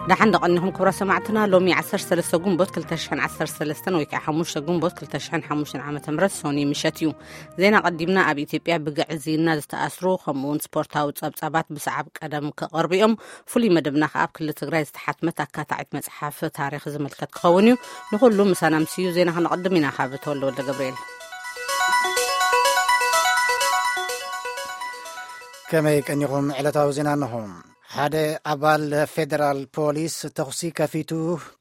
ደሓን ደቐኒኹም ክብራ ሰማዕትና። ሎሚ ዓሰርተ ሰለስተ ግንቦት ክልተ ሽሕን ዓሰርተ ሰለስተን ወይ ከዓ ሓሙሽተ ግንቦት ክልተ ሽሕን ሓሙሽተን ዓመተ ምህረት ሶኒ ምሸት እዩ። ዜና ቀዲምና። ኣብ ኢትዮጵያ ብግዕዝይና ዝተኣስሩ ከምኡ እውን ስፖርታዊ ጸብጻባት ብሰዓብ ቀደም ክቐርቡ እዮም። ፍሉይ መደብና ከዓ ኣብ ክልል ትግራይ ዝተሓትመት ኣካታዒት መጽሓፍ ታሪኽ ዝምልከት ክኸውን እዩ። ንኹሉ ምሳና ምስዩ ዜና ክነቐድም ኢና። ካብ ተወልደ ወልደ ገብርኤል። ከመይ ቀኒኹም? ዕለታዊ ዜና እንሆ። ሓደ ኣባል ፌደራል ፖሊስ ተኹሲ ከፊቱ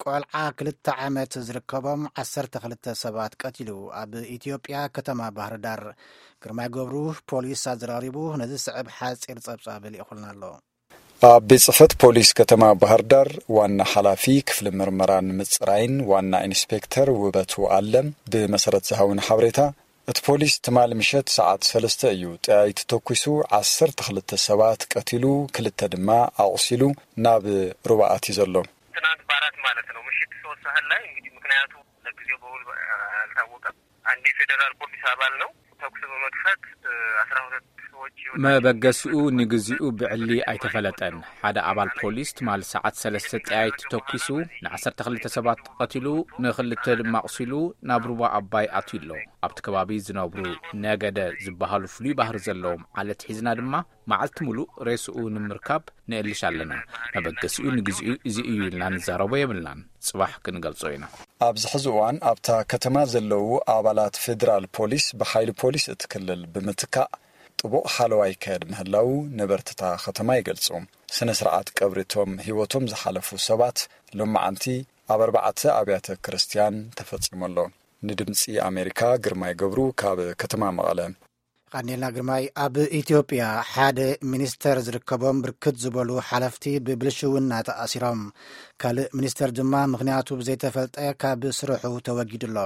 ቆልዓ ክልተ ዓመት ዝርከቦም ዓሰርተ ክልተ ሰባት ቀቲሉ። ኣብ ኢትዮጵያ ከተማ ባህር ዳር። ግርማይ ገብሩ ፖሊስ ኣዘራሪቡ ነዚ ዝስዕብ ሓጺር ጸብጻብ ልኢኹልና ኣሎ። ኣብ ቤት ጽሕፈት ፖሊስ ከተማ ባህር ዳር ዋና ሓላፊ ክፍሊ ምርመራን ምጽራይን ዋና ኢንስፔክተር ውበቱ ኣለም ብመሰረት ዝሃቡን ሓበሬታ፣ እቲ ፖሊስ ትማሊ ምሸት ሰዓት ሰለስተ እዩ ጠያይቲ ተኩሱ ዓሰርተ ክልተ ሰባት ቀቲሉ፣ ክልተ ድማ ኣቑሲሉ ናብ ሩባ ኣትዩ ዘሎ። ትናንት በአራት ማለት ነው፣ ምሽት ሶስት ሰዓት ላይ እንግዲህ፣ ምክንያቱ ለጊዜው በውል አልታወቀም። አንድ የፌዴራል ፖሊስ አባል ነው ተኩስ በመክፈት አስራ ሁለት ሰዎች ህይወታቸው መበገሲኡ ንግዚኡ ብዕሊ ኣይተፈለጠን። ሓደ ኣባል ፖሊስ ትማሊ ሰዓት ሰለስተ ጠያይቲ ተኩሱ ንዓሰርተ ክልተ ሰባት ቀቲሉ፣ ንክልተ ድማ ኣቑሲሉ ናብ ሩባ ኣባይ ኣትዩ ኣሎ። ኣብቲ ከባቢ ዝነብሩ ነገደ ዝበሃሉ ፍሉይ ባህሪ ዘለዎም ዓለት ሒዝና ድማ መዓልቲ ሙሉእ ሬስኡ ንምርካብ ንእልሽ ኣለና። መበገሲኡ ንግዚኡ እዚ እዩ ኢልና ንዛረቦ የብልናን። ጽባሕ ክንገልጾ ኢና። ኣብዚ ሕዚ እዋን ኣብታ ከተማ ዘለዉ ኣባላት ፌደራል ፖሊስ ብሓይሊ ፖሊስ እቲ ክልል ብምትካእ ጥቡቕ ሓለዋ ይካየድ ምህላዉ ነበርትታ ከተማ ይገልጹ። ስነ ስርዓት ቀብሪ እቶም ህይወቶም ዝሓለፉ ሰባት ሎማዓንቲ ኣብ ኣርባዕተ ኣብያተ ክርስቲያን ተፈጺሙ ኣሎ። ንድምጺ ኣሜሪካ ግርማይ ገብሩ ካብ ከተማ መቐለ። ቃኒልና ግርማይ። ኣብ ኢትዮጵያ ሓደ ሚኒስተር ዝርከቦም ብርክት ዝበሉ ሓለፍቲ ብብልሽውና ተኣሲሮም። ካልእ ሚኒስተር ድማ ምኽንያቱ ብዘይተፈልጠ ካብ ስርሑ ተወጊዱ ኣሎ።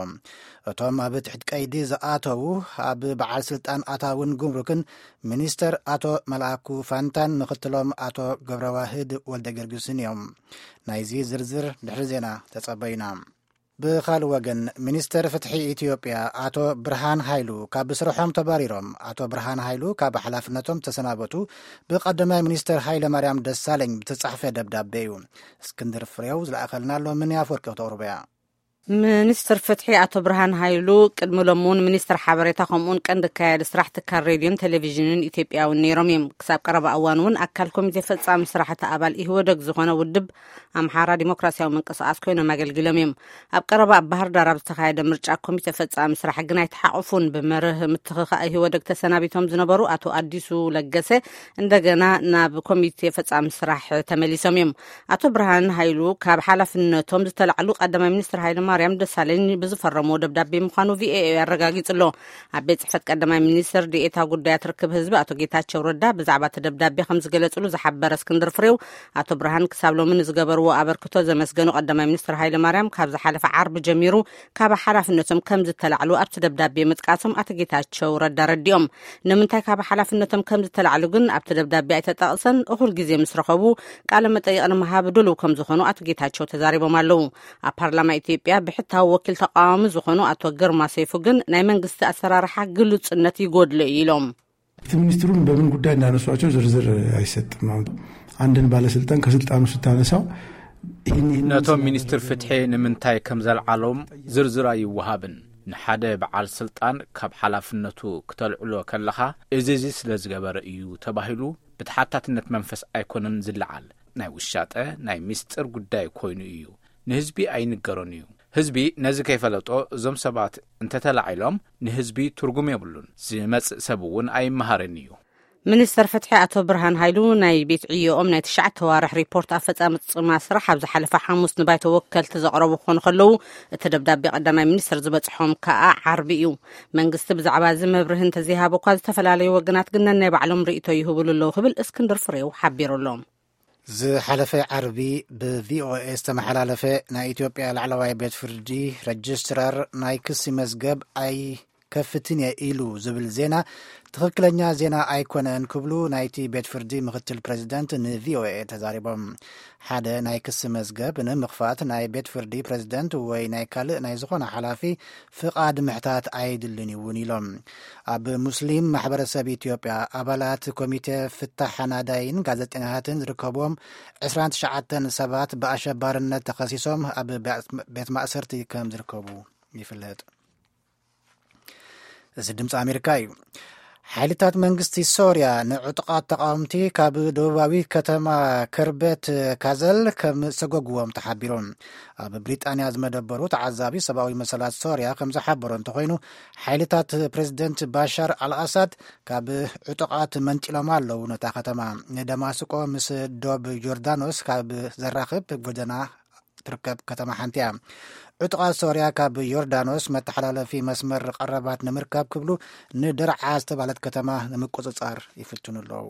እቶም ኣብ ትሕቲ ቀይዲ ዝኣተዉ ኣብ በዓል ስልጣን ኣታውን ጉምሩክን ሚኒስተር ኣቶ መልኣኩ ፋንታን ምኽትሎም ኣቶ ገብረዋህድ ወልደ ጊዮርጊስን እዮም። ናይዚ ዝርዝር ድሕሪ ዜና ተጸበዩና። ብኻልእ ወገን፣ ሚኒስተር ፍትሒ ኢትዮጵያ ኣቶ ብርሃን ሃይሉ ካብ ስርሖም ተባሪሮም። ኣቶ ብርሃን ሃይሉ ካብ ሓላፍነቶም ተሰናበቱ ብቀዳማይ ሚኒስተር ሃይለ ማርያም ደሳለኝ ብተጻሕፈ ደብዳቤ እዩ። እስክንድር ፍሬው ዝለኣኸልና ኣሎ፣ ምን ኣፈወርቂ ክተቕርቦ እያ። ሚኒስትር ፍትሒ ኣቶ ብርሃን ሃይሉ ቅድሚ ሎሚ እውን ሚኒስትር ሓበሬታ ከምኡውን ቀንዲ ኣካያዲ ስራሕ ትካል ሬድዮን ቴሌቪዥንን ኢትዮጵያ እውን ነይሮም እዮም። ክሳብ ቀረባ እዋን እውን ኣካል ኮሚቴ ፈጻሚ ስራሕ እቲ ኣባል ኢህወደግ ዝኾነ ውድብ ኣምሓራ ዲሞክራሲያዊ ምንቅስቃስ ኮይኖም ኣገልጊሎም እዮም። ኣብ ቀረባ ኣብ ባህር ዳር ኣብ ዝተኻየደ ምርጫ ኮሚቴ ፈጻሚ ስራሕ ግን ኣይተሓቑፉን። ብመርህ ምትኽኻእ ኢህወደግ ተሰናቢቶም ዝነበሩ ኣቶ ኣዲሱ ለገሰ እንደገና ናብ ኮሚቴ ፈጻሚ ስራሕ ተመሊሶም እዮም። ኣቶ ብርሃን ሃይሉ ካብ ሓላፍነቶም ዝተላዕሉ ቀዳማይ ሚኒስትር ሃይለ ማርያም ደሳለኝ ብዝፈረምዎ ደብዳቤ ምዃኑ ቪኦኤ ኣረጋጊጹ ኣሎ። ኣብ ቤት ጽሕፈት ቀዳማይ ሚኒስትር ዲኤታ ጉዳያት ርክብ ህዝቢ ኣቶ ጌታቸው ረዳ ብዛዕባ እቲ ደብዳቤ ከም ዝገለጹሉ ዝሓበረ እስክንድር ፍሬው፣ ኣቶ ብርሃን ክሳብ ሎሚ ንዝገበርዎ ኣበርክቶ ዘመስገኑ ቀዳማይ ሚኒስትር ሃይለ ማርያም ካብ ዝሓለፈ ዓርቢ ጀሚሩ ካብ ሓላፍነቶም ከም ዝተላዕሉ ኣብቲ ደብዳቤ ምጥቃሶም ኣቶ ጌታቸው ረዳ ረዲኦም። ንምንታይ ካብ ሓላፍነቶም ከም ዝተላዕሉ ግን ኣብቲ ደብዳቤ ኣይተጠቕሰን። እኹል ግዜ ምስ ረኸቡ ቃለ መጠይቕ ንምሃብ ድሉው ከም ዝኾኑ ኣቶ ጌታቸው ተዛሪቦም ኣለዉ። ኣብ ፓርላማ ኢትዮጵያ ብሕታዊ ወኪል ተቃዋሚ ዝኾኑ ኣቶ ግርማ ሰይፉ ግን ናይ መንግስቲ ኣሰራርሓ ግሉጽነት ይጎድሎ እዩ ኢሎም። እቲ ሚኒስትሩ በምን ጉዳይ እንዳነሷቸው ዝርዝር አይሰጥም። አሁን አንድን ባለስልጣን ከስልጣኑ ስታነሳው ይህን ይህን ነቶም ሚኒስትር ፍትሒ ንምንታይ ከም ዘልዓሎም ዝርዝር ኣይወሃብን። ንሓደ በዓል ስልጣን ካብ ሓላፍነቱ ክተልዕሎ ከለኻ እዚ እዚ ስለ ዝገበረ እዩ ተባሂሉ ብተሓታትነት መንፈስ ኣይኮነን ዝለዓል። ናይ ውሻጠ ናይ ሚስጥር ጉዳይ ኮይኑ እዩ። ንህዝቢ ኣይንገሮን እዩ። ህዝቢ ነዚ ከይፈለጦ እዞም ሰባት እንተተላዒሎም ንህዝቢ ትርጉም የብሉን። ዝመጽእ ሰብ እውን ኣይመሃርን እዩ። ሚኒስተር ፍትሒ ኣቶ ብርሃን ሃይሉ ናይ ቤት ዕዮኦም ናይ ትሽዓተ ዋርሕ ሪፖርት ኣፈጻጽማ ስራሕ ኣብ ዝሓለፈ ሓሙስ ንባይቶ ወከልቲ ዘቕረቡ ክኾኑ ከለዉ፣ እቲ ደብዳቤ ቀዳማይ ሚኒስትር ዝበጽሖም ከኣ ዓርቢ እዩ። መንግስቲ ብዛዕባ እዚ መብርሂ እንተዘይሃበ እኳ፣ ዝተፈላለዩ ወገናት ግን ነናይ ባዕሎም ርእይቶ ይህብሉ ኣለዉ ክብል እስክንድር ፍሬው ሓቢሩ ኣሎ። ዝሓለፈ ዓርቢ ብቪኦኤ ዝተመሓላለፈ ናይ ኢትዮጵያ ላዕለዋይ ቤት ፍርዲ ረጅስትራር ናይ ክሲ መዝገብ ኣይ ከፍትን እየ ኢሉ ዝብል ዜና ትኽክለኛ ዜና ኣይኮነን ክብሉ ናይቲ ቤት ፍርዲ ምክትል ፕሬዚደንት ንቪኦኤ ተዛሪቦም። ሓደ ናይ ክሲ መዝገብ ንምኽፋት ናይ ቤት ፍርዲ ፕሬዚደንት ወይ ናይ ካልእ ናይ ዝኾነ ሓላፊ ፍቓድ ምሕታት ኣይድልን እውን ኢሎም። ኣብ ሙስሊም ማሕበረሰብ ኢትዮጵያ ኣባላት ኮሚቴ ፍታሕ ሓናዳይን ጋዜጠኛታትን ዝርከብዎም ዕስራን ትሽዓተን ሰባት ብኣሸባርነት ተኸሲሶም ኣብ ቤት ማእሰርቲ ከም ዝርከቡ ይፍለጥ። እዚ ድምፂ ኣሜሪካ እዩ። ሓይልታት መንግስቲ ሶርያ ንዕጡቓት ተቃወምቲ ካብ ደቡባዊ ከተማ ከርበት ካዘል ከም ሰጎግዎም ተሓቢሩ። ኣብ ብሪጣንያ ዝመደበሩ ተዓዛቢ ሰብኣዊ መሰላት ሶርያ ከም ዝሓበሮ እንተኮይኑ፣ ሓይልታት ፕሬዚደንት ባሻር ኣልኣሳድ ካብ ዕጡቓት መንጢሎም ኣለዉ። ነታ ከተማ ንደማስቆ ምስ ዶብ ዮርዳኖስ ካብ ዘራኽብ ጎደና ትርከብ ከተማ ሓንቲ እያ። ዕጡቓት ሶርያ ካብ ዮርዳኖስ መተሓላለፊ መስመር ቀረባት ንምርካብ ክብሉ ንደርዓ ዝተባለት ከተማ ንምቁጽጻር ይፍትኑ ኣለዉ።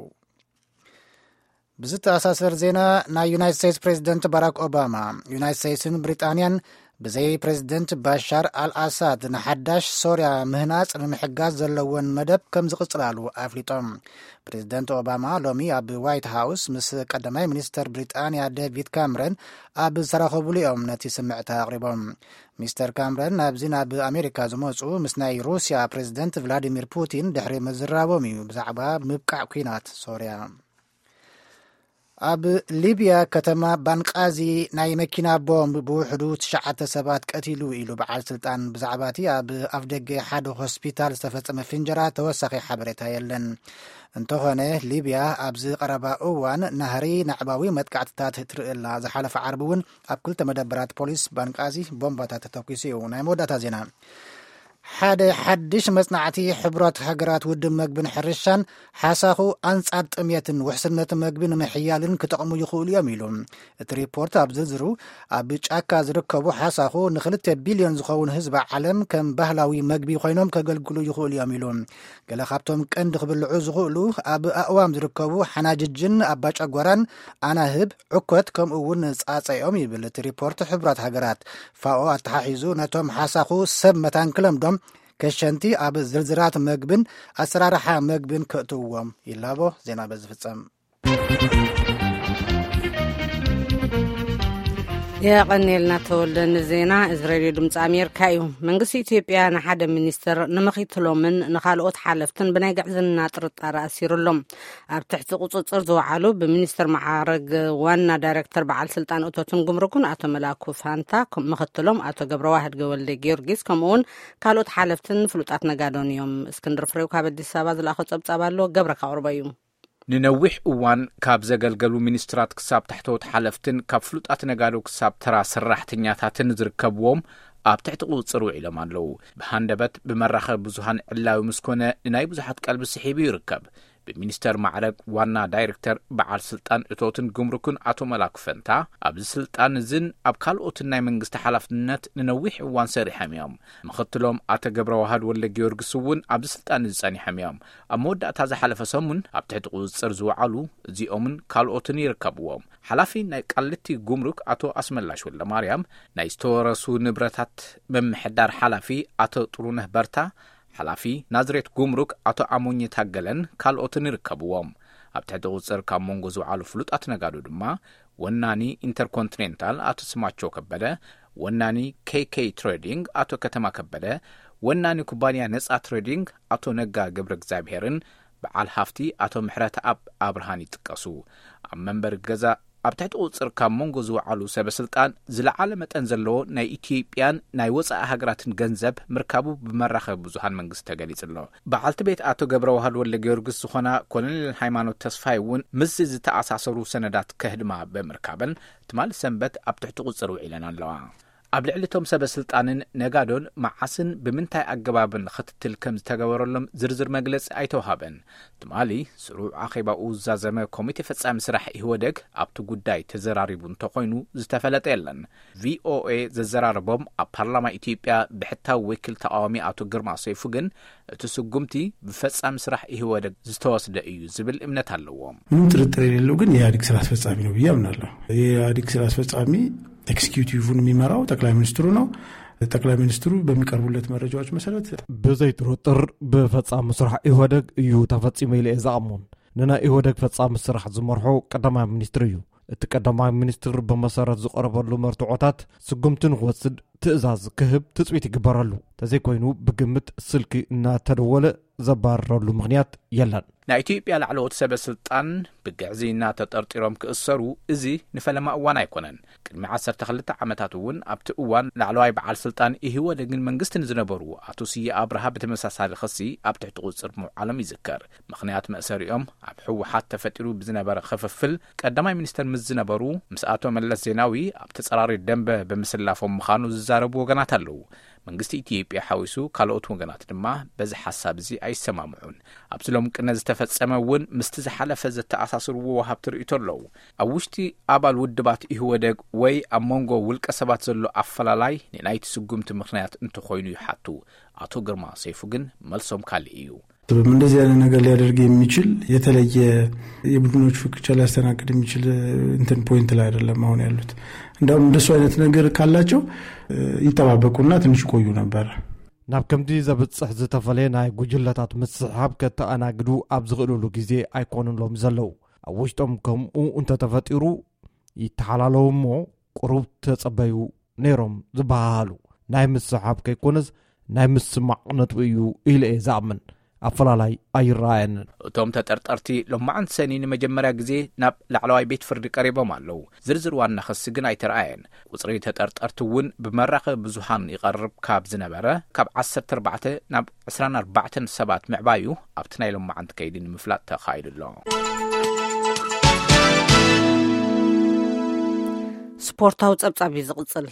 ብዝተኣሳሰር ዜና፣ ናይ ዩናይትድ ስቴትስ ፕሬዚደንት ባራክ ኦባማ፣ ዩናይትድ ስቴትስን ብሪጣንያን ብዘይ ፕሬዚደንት ባሻር ኣልኣሳድ ንሓዳሽ ሶርያ ምህናጽ ንምሕጋዝ ዘለወን መደብ ከም ዝቕጽላሉ ኣፍሊጦም። ፕሬዚደንት ኦባማ ሎሚ ኣብ ዋይት ሃውስ ምስ ቀዳማይ ሚኒስተር ብሪጣንያ ዴቪድ ካምረን ኣብ ዝተራኸቡሉ እዮም ነቲ ስምዕታ ኣቕሪቦም። ሚስተር ካምረን ናብዚ ናብ ኣሜሪካ ዝመጹ ምስ ናይ ሩስያ ፕሬዚደንት ቭላዲሚር ፑቲን ድሕሪ ምዝራቦም እዩ ብዛዕባ ምብቃዕ ኲናት ሶርያ። ኣብ ሊብያ ከተማ ባንቃዚ ናይ መኪና ቦምብ ብውሕዱ ትሽዓተ ሰባት ቀቲሉ ኢሉ በዓል ስልጣን። ብዛዕባ እቲ ኣብ ኣፍደገ ሓደ ሆስፒታል ዝተፈጸመ ፍንጀራ ተወሳኺ ሓበሬታ የለን። እንተኾነ፣ ሊብያ ኣብዚ ቀረባ እዋን ናህሪ ናዕባዊ መጥቃዕትታት ትርኢ ኣላ። ዝሓለፈ ዓርቢ እውን ኣብ ክልተ መደበራት ፖሊስ ባንቃዚ ቦምባታት ተተኲሱ እዩ። ናይ መወዳእታ ዜና። ሓደ ሓድሽ መጽናዕቲ ሕቡራት ሃገራት ውድብ መግብን ሕርሻን ሓሳኹ ኣንጻር ጥሜትን ውሕስነት መግቢ ንምሕያልን ክጠቕሙ ይኽእሉ እዮም ኢሉ። እቲ ሪፖርት ኣብ ዝርዝሩ፣ ኣብ ጫካ ዝርከቡ ሓሳኹ ንክልተ ቢልዮን ዝኸውን ህዝቢ ዓለም ከም ባህላዊ መግቢ ኮይኖም ከገልግሉ ይኽእሉ እዮም ኢሉ። ገለ ካብቶም ቀንዲ ክብልዑ ዝኽእሉ ኣብ ኣእዋም ዝርከቡ ሓናጅጅን ኣባጨጓራን ኣናህብ፣ ዕኮት፣ ከምኡ እውን ጻጸ እዮም ይብል እቲ ሪፖርት ሕቡራት ሃገራት። ፋኦ ኣተሓሒዙ ነቶም ሓሳኹ ሰብ መታን ክለምዶም ከሸንቲ ኣብ ዝርዝራት መግብን ኣሰራርሓ መግብን ከእትውዎም ይላቦ። ዜና በዚ ፍጸም። የቐንየልና ተወልደ ንዜና። እዚ ሬድዮ ድምፂ ኣሜሪካ እዩ። መንግስቲ ኢትዮጵያ ንሓደ ሚኒስትር ንምኽትሎምን ንኻልኦት ሓለፍትን ብናይ ግዕዝና ጥርጣረ ኣሲሩ ኣሎ። ኣብ ትሕቲ ቁፅፅር ዝወዓሉ ብሚኒስትር መዓረግ ዋና ዳይሬክተር በዓል ስልጣን እቶትን ጉምሩክን ኣቶ መላኩ ፋንታ፣ ከም ምኽትሎም ኣቶ ገብረዋህድ ወልደ ጊዮርጊስ፣ ከምኡውን ካልኦት ሓለፍትን ፍሉጣት ነጋዶን እዮም። እስክንድር ፍሬው ካብ ኣዲስ ኣበባ ዝለኣኾ ጸብጻብ ኣሎ፣ ገብረ ካቕርቦ እዩ። ንነዊሕ እዋን ካብ ዘገልገሉ ሚኒስትራት ክሳብ ታሕተዎት ሓለፍትን ካብ ፍሉጣት ነጋዶ ክሳብ ተራ ሰራሕተኛታትን ዝርከብዎም ኣብ ትሕቲ ቁጽጽር ውዒሎም ኣለዉ። ብሃንደበት ብመራኸቢ ብዙሃን ዕላዊ ምስ ኮነ ንናይ ብዙሓት ቀልቢ ስሒቡ ይርከብ። ብሚኒስተር ማዕረግ ዋና ዳይሬክተር በዓል ስልጣን እቶትን ጉምሩክን ኣቶ መላኩ ፈንታ፣ ኣብዚ ስልጣን እዝን ኣብ ካልኦትን ናይ መንግስቲ ሓላፍነት ንነዊሕ እዋን ሰሪሖም እዮም። ምኽትሎም ኣቶ ገብረዋህድ ወልደ ጊዮርጊስ እውን ኣብዚ ስልጣን እዚ ጸኒሖም እዮም። ኣብ መወዳእታ ዝሓለፈ ሰሙን ኣብ ትሕቲ ቁጽጽር ዝወዓሉ እዚኦምን ካልኦትን ይርከብዎም። ሓላፊ ናይ ቃሊቲ ጉምሩክ ኣቶ ኣስመላሽ ወልደማርያም፣ ናይ ዝተወረሱ ንብረታት ምምሕዳር ሓላፊ ኣቶ ጥሩነህ በርታ፣ ሓላፊ ናዝሬት ጉምሩክ ኣቶ ኣሞኘ ታገለን ካልኦትን ይርከብዎም። ኣብ ትሕቲ ቁጽጽር ካብ መንጎ ዝወዓሉ ፍሉጣት ነጋዶ ድማ ወናኒ ኢንተርኮንቲኔንታል ኣቶ ስማቸው ከበደ፣ ወናኒ ኬይ ኬይ ትሬዲንግ ኣቶ ከተማ ከበደ፣ ወናኒ ኩባንያ ነጻ ትሬዲንግ ኣቶ ነጋ ገብረ እግዚኣብሄርን በዓል ሃፍቲ ኣቶ ምሕረተኣብ ኣብርሃን ይጥቀሱ። ኣብ መንበሪ ገዛ ኣብ ትሕቲ ቁጽጽር ካብ መንጎ ዝወዓሉ ሰበ ስልጣን ዝለዓለ መጠን ዘለዎ ናይ ኢትዮጵያን ናይ ወጻኢ ሃገራትን ገንዘብ ምርካቡ ብመራኸቢ ብዙሃን መንግስቲ ተገሊጹ ኣሎ። በዓልቲ ቤት ኣቶ ገብረዋህድ ወልደ ጊዮርጊስ ዝኾና ኮሎኔል ሃይማኖት ተስፋይ እውን ምስዚ ዝተኣሳሰሩ ሰነዳት ከህድማ ብምርካበን ትማሊ ሰንበት ኣብ ትሕቲ ቁጽጽር ውዒለን ኣለዋ። ኣብ ልዕሊ እቶም ሰበ ስልጣንን ነጋዶን መዓስን ብምንታይ ኣገባብን ክትትል ከም ዝተገበረሎም ዝርዝር መግለጺ ኣይተውሃበን። ትማሊ ስሩዕ ኣኼባኡ ዝዛዘመ ኮሚቴ ፈጻሚ ስራሕ ኢህወደግ ኣብቲ ጉዳይ ተዘራሪቡ እንተኾይኑ ዝተፈለጠ የለን። ቪኦኤ ዘዘራረቦም ኣብ ፓርላማ ኢትዮጵያ ብሕታዊ ወኪል ተቃዋሚ ኣቶ ግርማ ሰይፉ ግን እቲ ስጉምቲ ብፈጻሚ ስራሕ ኢህወደግ ዝተወስደ እዩ ዝብል እምነት ኣለዎ። ምንም ጥርጥር የሌለው ግን የኢህአዴግ ስራ አስፈጻሚ ነው ብዬ አምናለሁ። የኢህአዴግ ስራ አስፈጻሚ ኤክስኪዩቲቭን የሚመራው ጠቅላይ ሚኒስትሩ ነው። ጠቅላይ ሚኒስትሩ በሚቀርቡለት መረጃዎች መሰረት፣ ብዘይጥርጥር ብፈጻሚ ስራሕ ኢህወደግ እዩ ተፈጺሙ ኢለ እየ ዝኣምን። ንናይ ኢህወደግ ፈጻሚ ስራሕ ዝመርሖ ቀዳማይ ሚኒስትር እዩ። እቲ ቀዳማይ ሚኒስትር ብመሰረት ዝቐረበሉ መርትዖታት ስጉምቲ ንክወስድ ትእዛዝ ክህብ ትጽቢት ይግበረሉ። ተዘይኮይኑ ብግምት ስልኪ እናተደወለ ዘባርረሉ ምኽንያት የለን። ናይ ኢትዮጵያ ላዕለዎት ሰበ ስልጣን ብግዕዝይና ተጠርጢሮም ክእሰሩ እዚ ንፈለማ እዋን ኣይኮነን። ቅድሚ ዓሰርተ ክልተ ዓመታት እውን ኣብቲ እዋን ላዕለዋይ በዓል ስልጣን ኢህወደግን መንግስትን ዝነበሩ ኣቶ ስየ ኣብርሃ ብተመሳሳሊ ክሲ ኣብ ትሕቲ ቁፅር ምውዓሎም ይዝከር። ምኽንያት መእሰሪኦም ኣብ ህወሓት ተፈጢሩ ብዝነበረ ክፍፍል ቀዳማይ ሚኒስተር ምስ ዝነበሩ ምስ ኣቶ መለስ ዜናዊ ኣብ ተጸራሪ ደንበ ብምስላፎም ምዃኑ ዝዛረቡ ወገናት ኣለዉ። መንግስቲ ኢትዮጵያ ሓዊሱ ካልኦት ወገናት ድማ በዚ ሓሳብ እዚ ኣይሰማምዑን። ኣብዚ ሎም ቅነ ዝተፈጸመ እውን ምስቲ ዝሓለፈ ዘተኣሳስርዎ ወሃብቲ ርእይቶ ኣለዉ። ኣብ ውሽጢ ኣባል ውድባት ኢህወደግ ወይ ኣብ መንጎ ውልቀ ሰባት ዘሎ ኣፈላላይ ንናይቲ ስጉምቲ ምኽንያት እንተኾይኑ ይሓቱ። ኣቶ ግርማ ሰይፉ ግን መልሶም ካልእ እዩ። እንደዚህ አይነት ነገር ሊያደርግ የሚችል የተለየ የቡድኖች ፍክቻ ሊያስተናግድ የሚችል እንትን ፖይንት ላይ አይደለም አሁን ያሉት። እንዳውም እንደሱ አይነት ነገር ካላቸው ይጠባበቁና ትንሽ ቆዩ ነበር። ናብ ከምዚ ዘብጽሕ ዝተፈለየ ናይ ጉጅለታት ምስሕሓብ ከተኣናግዱ ኣብ ዝኽእልሉ ግዜ ኣይኮኑን ሎም ዘለዉ። ኣብ ውሽጦም ከምኡ እንተተፈጢሩ ይተሓላለዉ እሞ ቁሩብ ተጸበዩ ነይሮም ዝበሃሃሉ። ናይ ምስሓብ ከይኮነስ ናይ ምስማዕ ነጥቢ እዩ ኢለ እየ ዝኣምን። ኣፈላላይ ኣይረኣየንን። እቶም ተጠርጠርቲ ሎማዓንቲ ሰኒ ንመጀመርያ ግዜ ናብ ላዕለዋይ ቤት ፍርዲ ቀሪቦም ኣለዉ። ዝርዝር ዋና ክሲ ግን ኣይተረኣየን። ቁጽሪ ተጠርጠርቲ እውን ብመራኸቢ ብዙሃን ይቐርብ ካብ ዝነበረ ካብ ዓሰርተ ኣርባዕተ ናብ ዕስራን ኣርባዕተን ሰባት ምዕባዩ ኣብቲ ናይ ሎማዓንቲ ከይዲ ንምፍላጥ ተኻይዱ ኣሎ። ስፖርታዊ ጸብጻብ እዩ ዝቕጽል።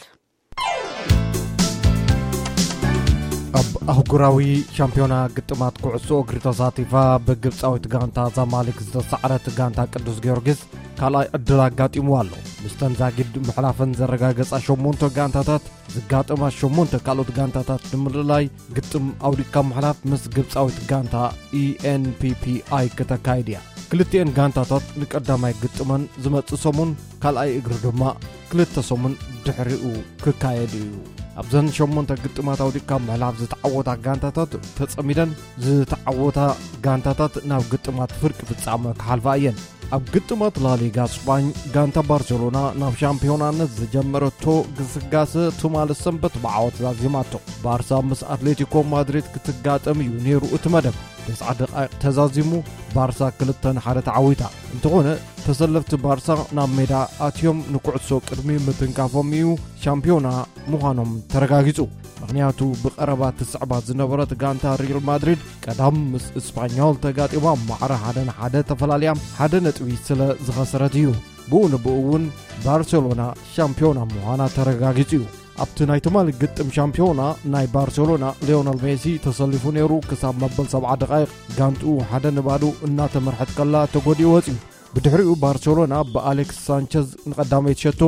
ኣብ ኣህጉራዊ ሻምፒዮና ግጥማት ኩዕሶ እግሪ ተሳቲፋ ብግብጻዊት ጋንታ ዛማሊክ ዝተሳዕረት ጋንታ ቅዱስ ጊዮርጊስ ካልኣይ ዕድል ኣጋጢምዋ ኣሎ። ምስተን ዛጊድ ምሕላፈን ዘረጋገጻ ሸሞንተ ጋንታታት ዝጋጠማ ሸሞንተ ካልኦት ጋንታታት ንምልላይ ግጥም ኣውዲካ ምሕላፍ ምስ ግብጻዊት ጋንታ ኢኤንፒፒኣይ ክተካይድ እያ። ክልቲኤን ጋንታታት ንቀዳማይ ግጥመን ዝመጽእ ሰሙን፣ ካልኣይ እግሪ ድማ ክልተ ሰሙን ድሕሪኡ ክካየድ እዩ። ኣብዘን ሸሞንተ ግጥማት ኣውዲካ ምሕላፍ ዝተዓወታ ጋንታታት ተጸሚደን ዝተዓወታ ጋንታታት ናብ ግጥማት ፍርቂ ፍጻመ ክሓልፋ እየን። ኣብ ግጥማት ላሊጋ ስጳኝ ጋንታ ባርሴሎና ናብ ሻምፒዮናነት ዝጀመረቶ ግስጋሰ ትማሊ ሰንበት ብዓወት ዛዚማቶ። ባርሳ ምስ ኣትሌቲኮ ማድሪድ ክትጋጠም እዩ ነይሩ እቲ መደብ። ተስዓ ደቃይቕ ተዛዚሙ ባርሳ ክልተ ንሓደ ተዓዊታ። እንተኾነ ተሰለፍቲ ባርሳ ናብ ሜዳ ኣትዮም ንኩዕሶ ቅድሚ ምትንካፎም እዩ ሻምፒዮና ምዃኖም ተረጋጊጹ። ምኽንያቱ ብቐረባ ትስዕባ ዝነበረት ጋንታ ሪል ማድሪድ ቀዳም ምስ እስፓኞል ተጋጢማ ማዕረ ሓደ ንሓደ ተፈላልያ ሓደ ነጥቢ ስለ ዝኸሰረት እዩ። ብኡ ንብኡ እውን ባርሴሎና ሻምፒዮና ምዃና ተረጋጊጹ እዩ። ኣብቲ ናይ ትማሊ ግጥም ሻምፒዮና ናይ ባርሴሎና ሊዮነል ሜሲ ተሰሊፉ ነይሩ። ክሳብ መበል ሰብዓ ደቃይቕ ጋንትኡ ሓደ ንባዶ እናተመርሐት ከላ ተጎዲኡ ወጺኡ። ብድሕሪኡ ባርሴሎና ብኣሌክስ ሳንቸዝ ንቐዳመይቲ ሸቶ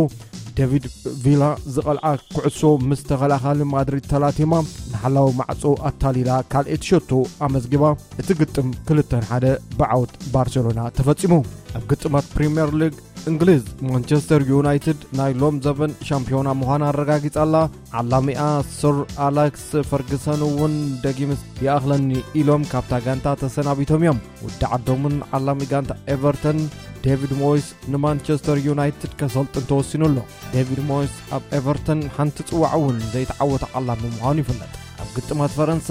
ዴቪድ ቪላ ዝቐልዓ ኩዕሶ ምስ ተኸላኻሊ ማድሪድ ተላቲማ ንሓላዊ ማዕጾ ኣታሊላ ካልኣይቲ ሸቶ ኣመዝጊባ። እቲ ግጥም ክልተ ንሓደ ብዓወት ባርሴሎና ተፈጺሙ። ኣብ ግጥማት ፕሪምየር ሊግ እንግሊዝ ማንቸስተር ዩናይትድ ናይ ሎም ዘበን ሻምፒዮና ምዃና ኣረጋጊጻ ኣላ። ዓላሚኣ ሰር ኣላክስ ፈርግሰን እውን ደጊምስ ይኣኽለኒ ኢሎም ካብታ ጋንታ ተሰናቢቶም እዮም። ውዲ ዓዶምን ዓላሚ ጋንታ ኤቨርተን ዴቪድ ሞይስ ንማንቸስተር ዩናይትድ ከሰልጥን ተወሲኑ ኣሎ። ዴቪድ ሞይስ ኣብ ኤቨርተን ሓንቲ ጽዋዕ እውን ዘይተዓወተ ዓላሚ ምዃኑ ይፍለጥ። ኣብ ግጥማት ፈረንሳ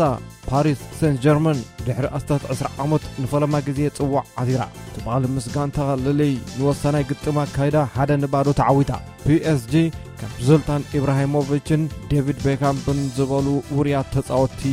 ፓሪስ ሴንት ጀርመን ድሕሪ ኣስታት ዕስራ ዓመት ንፈለማ ግዜ ጽዋዕ ዓቲራ። ትማሊ ምስ ጋንታ ልልይ ንወሳናይ ግጥም ኣካይዳ ሓደ ንባዶ ተዓዊታ። ፒኤስጂ ካብ ዝልታን ኢብራሂሞቪችን ዴቪድ ቤካምፕን ዝበሉ ውሩያት ተጻወትቲ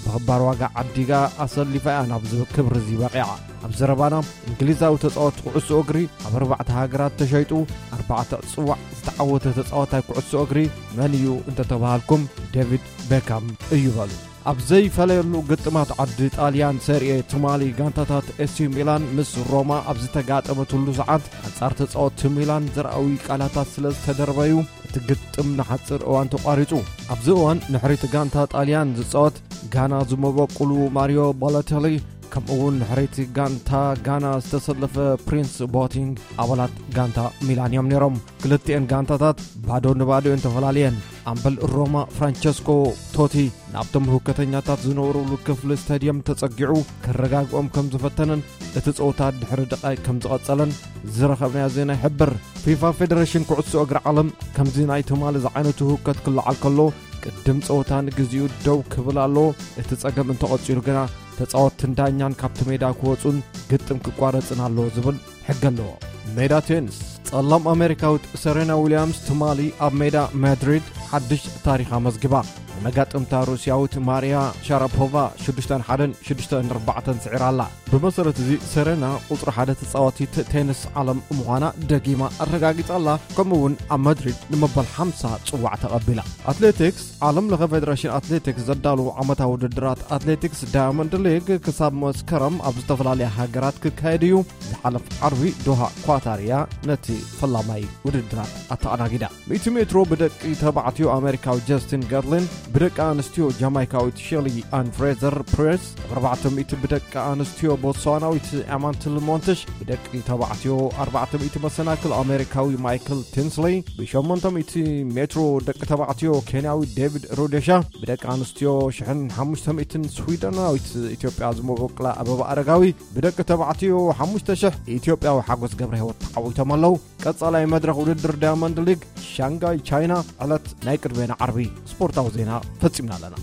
ብኽባር ዋጋ ዓዲጋ ኣሰሊፋ እያ ናብ ዝብል ክብሪ እዚ በቒዓ። ኣብ ዘረባና እንግሊዛዊ ተጻወቲ ኩዕሶ እግሪ ኣብ ኣርባዕተ ሃገራት ተሸይጡ ኣርባዕተ ጽዋዕ ዝተዓወተ ተጻዋታይ ኩዕሶ እግሪ መን እዩ እንተተባሃልኩም ዴቪድ ቤካም እዩ በሉ። ኣብ ዘይፈለየሉ ግጥማት ዓዲ ጣልያን ሰሪኤ ትማሊ ጋንታታት ኤሲ ሚላን ምስ ሮማ ኣብ ዝተጋጠመትሉ ሰዓት ኣንጻር ተጻወትቲ ሚላን ዘርኣዊ ቃላታት ስለ ዝተደርበዩ እቲ ግጥም ንሓጽር እዋን ተቋሪጹ። ኣብዚ እዋን ንሕሪቲ ጋንታ ጣልያን ዝጻወት ጋና ዝመበቁሉ ማሪዮ ባሎቴሊ ከምኡ እውን ድሕሪቲ ጋንታ ጋና ዝተሰለፈ ፕሪንስ ቦቲንግ ኣባላት ጋንታ ሚላን እዮም ነይሮም። ክልቲኤን ጋንታታት ባዶ ንባዶ እየን ተፈላለየን። ኣምበል ሮማ ፍራንቸስኮ ቶቲ ናብቶም ህውከተኛታት ዝነበሩሉ ክፍሊ ስታድየም ተጸጊዑ ከረጋግኦም ከም ዝፈተነን እቲ ጸወታ ድሕሪ ደቓይ ከም ዝቐጸለን ዝረኸብናዮ ዜና ይሕብር። ፊፋ ፌደሬሽን ኩዕሶ እግሪ ዓለም ከምዚ ናይ ትማሊ ዝዓይነቱ ህውከት ክለዓል ከሎ ቅድም ጸወታ ንግዚኡ ደው ክብል ኣለዎ። እቲ ጸገም እንተቐጺሉ ግና ተጻወትትን ዳኛን ካብቲ ሜዳ ክወጹን ግጥም ክቋረጽን ኣለዎ ዝብል ሕጊ ኣለዎ። ሜዳ ቴኒስ። ጸላም ኣሜሪካዊት ሰሬና ዊልያምስ ትማሊ ኣብ ሜዳ ማድሪድ ሓድሽ ታሪኽ ኣመዝጊባ። ንመጋጥምታ ሩስያዊት ማርያ ሻራፖቫ ሽዱሽተ ንሓደን ሽዱሽተ ንኣርባዕተን ስዒራ ኣላ። ብመሰረት እዚ ሰሬና ቁጽሪ ሓደ ተጻዋቲት ቴኒስ ዓለም ምዃና ደጊማ ኣረጋጊጻ ኣላ። ከምኡ እውን ኣብ ማድሪድ ንመበል ሓምሳ ጽዋዕ ተቐቢላ። ኣትሌቲክስ። ዓለም ለኸ ፌደሬሽን ኣትሌቲክስ ዘዳለዉ ዓመታዊ ውድድራት ኣትሌቲክስ ዳያመንድ ሊግ ክሳብ መስከረም ኣብ ዝተፈላለያ ሃገራት ክካየድ እዩ። ዝሓለፍ ዓርቢ ዶሃ ኳታር እያ ነቲ ፈላማይ ውድድራት ኣተኣናጊዳ። ሚእቲ ሜትሮ ብደቂ ተባዕትዮ ኣሜሪካዊ ጀስቲን ገርሊን፣ ብደቂ ኣንስትዮ ጃማይካዊት ሼሊ ኣን ፍሬዘር ፕሬስ፣ ኣርባዕተ ሚእቲ ብደቂ ኣንስትዮ ቦትስዋናዊት ኣማንትል ሞንትሽ፣ ብደቂ ተባዕትዮ ኣርባዕተ ሚእቲ መሰናክል ኣሜሪካዊ ማይክል ቲንስሊ፣ ብ800 ሜትሮ ደቂ ተባዕትዮ ኬንያዊ ዴቪድ ሮዴሻ፣ ብደቂ ኣንስትዮ ሽሕን ሓሙሽተ ሚእትን ስዊደናዊት ኢትዮጵያ ዝመበቁላ ኣበባ ኣረጋዊ፣ ብደቂ ተባዕትዮ ሓሙሽተ ሽሕ ኢትዮጵያዊ ሓጎስ ገብረ ህይወት ተዓዊቶም ኣለዉ። ቀጻላይ መድረኽ ውድድር ዳያመንድ ሊግ ሻንጋይ ቻይና ዕለት ናይ ቅድሜና ዓርቢ። ስፖርታዊ ዜና ፈጺምና ኣለና።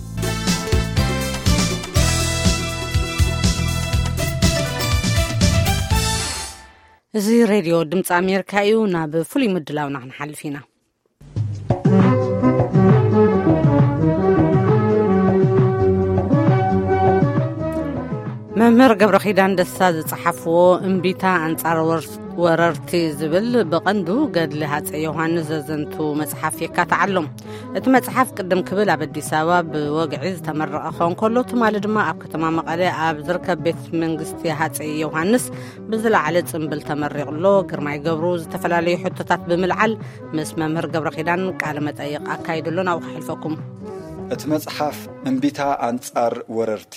እዚ ሬድዮ ድምፂ ኣሜሪካ እዩ። ናብ ፍሉይ ምድላውና ክንሓልፍ ኢና። መምህር ገብረ ኪዳን ደስታ ዝጸሓፍዎ እምቢታ ኣንጻር ወር-፣ ወረርቲ ዝብል ብቐንዱ ገድሊ ሃጸይ ዮሃንስ ዘዘንቱ መጽሓፍ የካትዓሎም። እቲ መጽሓፍ ቅድም ክብል ኣብ ኣዲስ ኣበባ ብወግዒ ዝተመረቐ ክኸውን ከሎ፣ ትማሊ ድማ ኣብ ከተማ መቐለ ኣብ ዝርከብ ቤት መንግስቲ ሃጸይ ዮሃንስ ብዝለዓለ ጽምብል ተመሪቑ ኣሎ። ግርማይ ገብሩ ዝተፈላለዩ ሕቶታት ብምልዓል ምስ መምህር ገብረ ኪዳን ቃለ መጠይቕ ኣካይዱ ኣሎ። ናብኡ ከሕልፈኩም። እቲ መጽሓፍ እምቢታ ኣንጻር ወረርቲ፣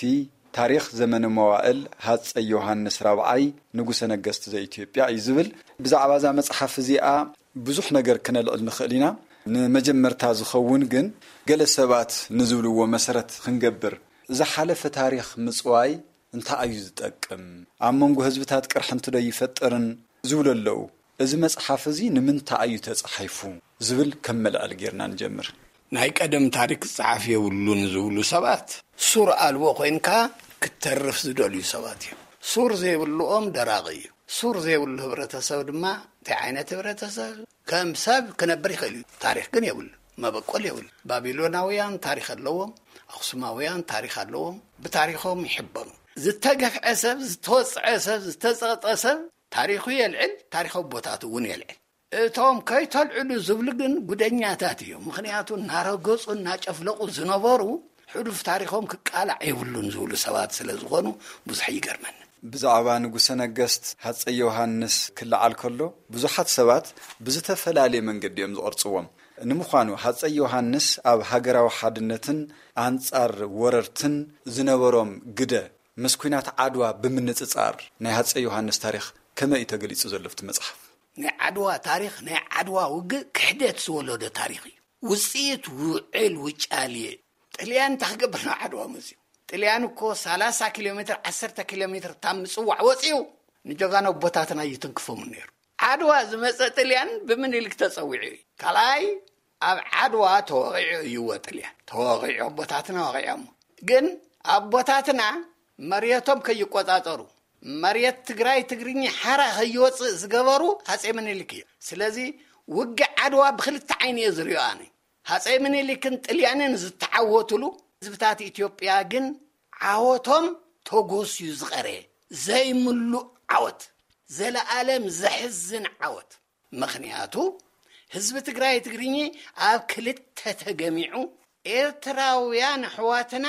ታሪኽ ዘመነ መዋእል ሃጸይ ዮሃንስ ራብዓይ ንጉሰ ነገስት ዘኢትዮጵያ እዩ ዝብል። ብዛዕባ እዛ መጽሓፍ እዚኣ ብዙሕ ነገር ክነልዕል ንኽእል ኢና። ንመጀመርታ ዝኸውን ግን ገለ ሰባት ንዝብልዎ መሰረት ክንገብር፣ ዝሓለፈ ታሪኽ ምጽዋይ እንታይ እዩ ዝጠቅም? ኣብ መንጎ ህዝብታት ቅርሒ እንተ ዶ ይፈጥርን ዝብሉ ኣለዉ። እዚ መጽሓፍ እዚ ንምንታይ እዩ ተጻሒፉ ዝብል ከም መልዕል ጌርና ንጀምር። ናይ ቀደም ታሪክ ዝጸሓፍ የብሉን ዝብሉ ሰባት ሱር ኣልቦ ኮይንካ ክትተርፍ ዝደልዩ ሰባት እዮም። ሱር ዘይብልኦም ደራቂ እዩ። ሱር ዘይብሉ ህብረተሰብ ድማ እንታይ ዓይነት ህብረተሰብ? ከም ሰብ ክነብር ይኽእል እዩ። ታሪክ ግን የብሉ፣ መበቆል የብሉ። ባቢሎናውያን ታሪክ ኣለዎም፣ ኣክሱማውያን ታሪክ ኣለዎም። ብታሪኮም ይሕበኑ። ዝተገፍዐ ሰብ፣ ዝተወጽዐ ሰብ፣ ዝተጸቕጠ ሰብ ታሪኹ የልዕል፣ ታሪክ ኣቦታቱ እውን የልዕል። እቶም ከይተልዕሉ ዝብሉ ግን ጉደኛታት እዮም። ምኽንያቱ እናረገጹ እናጨፍለቑ ዝነበሩ ሕሉፍ ታሪኾም ክቃላዕ የብሉን ዝብሉ ሰባት ስለ ዝኾኑ ብዙሕ ይገርመኒ። ብዛዕባ ንጉሰ ነገስት ሃጸይ ዮሃንስ ክለዓል ከሎ ብዙሓት ሰባት ብዝተፈላለየ መንገዲ እዮም ዝቐርጽዎም። ንምዃኑ ሃጸይ ዮሃንስ ኣብ ሃገራዊ ሓድነትን ኣንጻር ወረርትን ዝነበሮም ግደ ምስ ኲናት ዓድዋ ብምንጽጻር ናይ ሃጸይ ዮሃንስ ታሪኽ ከመይ እዩ ተገሊጹ ዘሎ ኣብቲ መጽሓፍ? ናይ ዓድዋ ታሪኽ፣ ናይ ዓድዋ ውግእ ክሕደት ዝወለዶ ታሪኽ እዩ። ውጽኢት ውዕል ውጫሌ። ጥልያን እንታይ ክገብር ናብ ዓድዋ መጽዩ? ጥልያን እኮ ሰላሳ ኪሎ ሜትር፣ ዓሰርተ ኪሎ ሜትር ታብ ምጽዋዕ ወጽዩ ንጀጋኑ ኣቦታትና ይትንክፎም ነይሩ። ዓድዋ ዝመጸ ጥልያን ብምኒልክ ተጸዊዑ እዩ። ካልኣይ ኣብ ዓድዋ ተወቒዑ እዩዎ ጥልያን። ተወቒዑ ኣቦታትና ወቒዖሞ። ግን ኣቦታትና መሬቶም ከይቆጻጸሩ፣ መሬት ትግራይ ትግርኛ ሓራ ከይወጽእ ዝገበሩ ሃጼ ምኒልክ እዩ። ስለዚ ውግእ ዓድዋ ብክልተ ዓይኒ እየ ዝሪኦ ኣነ። ሃጸይ ምኒልክን ጥልያንን ዝተዓወቱሉ፣ ህዝብታት ኢትዮጵያ ግን ዓወቶም ተጎስዩ ዝቐረ ዘይምሉእ ዓወት፣ ዘለኣለም ዘሕዝን ዓወት። ምኽንያቱ ህዝቢ ትግራይ ትግርኚ ኣብ ክልተ ተገሚዑ፣ ኤርትራውያን ኣሕዋትና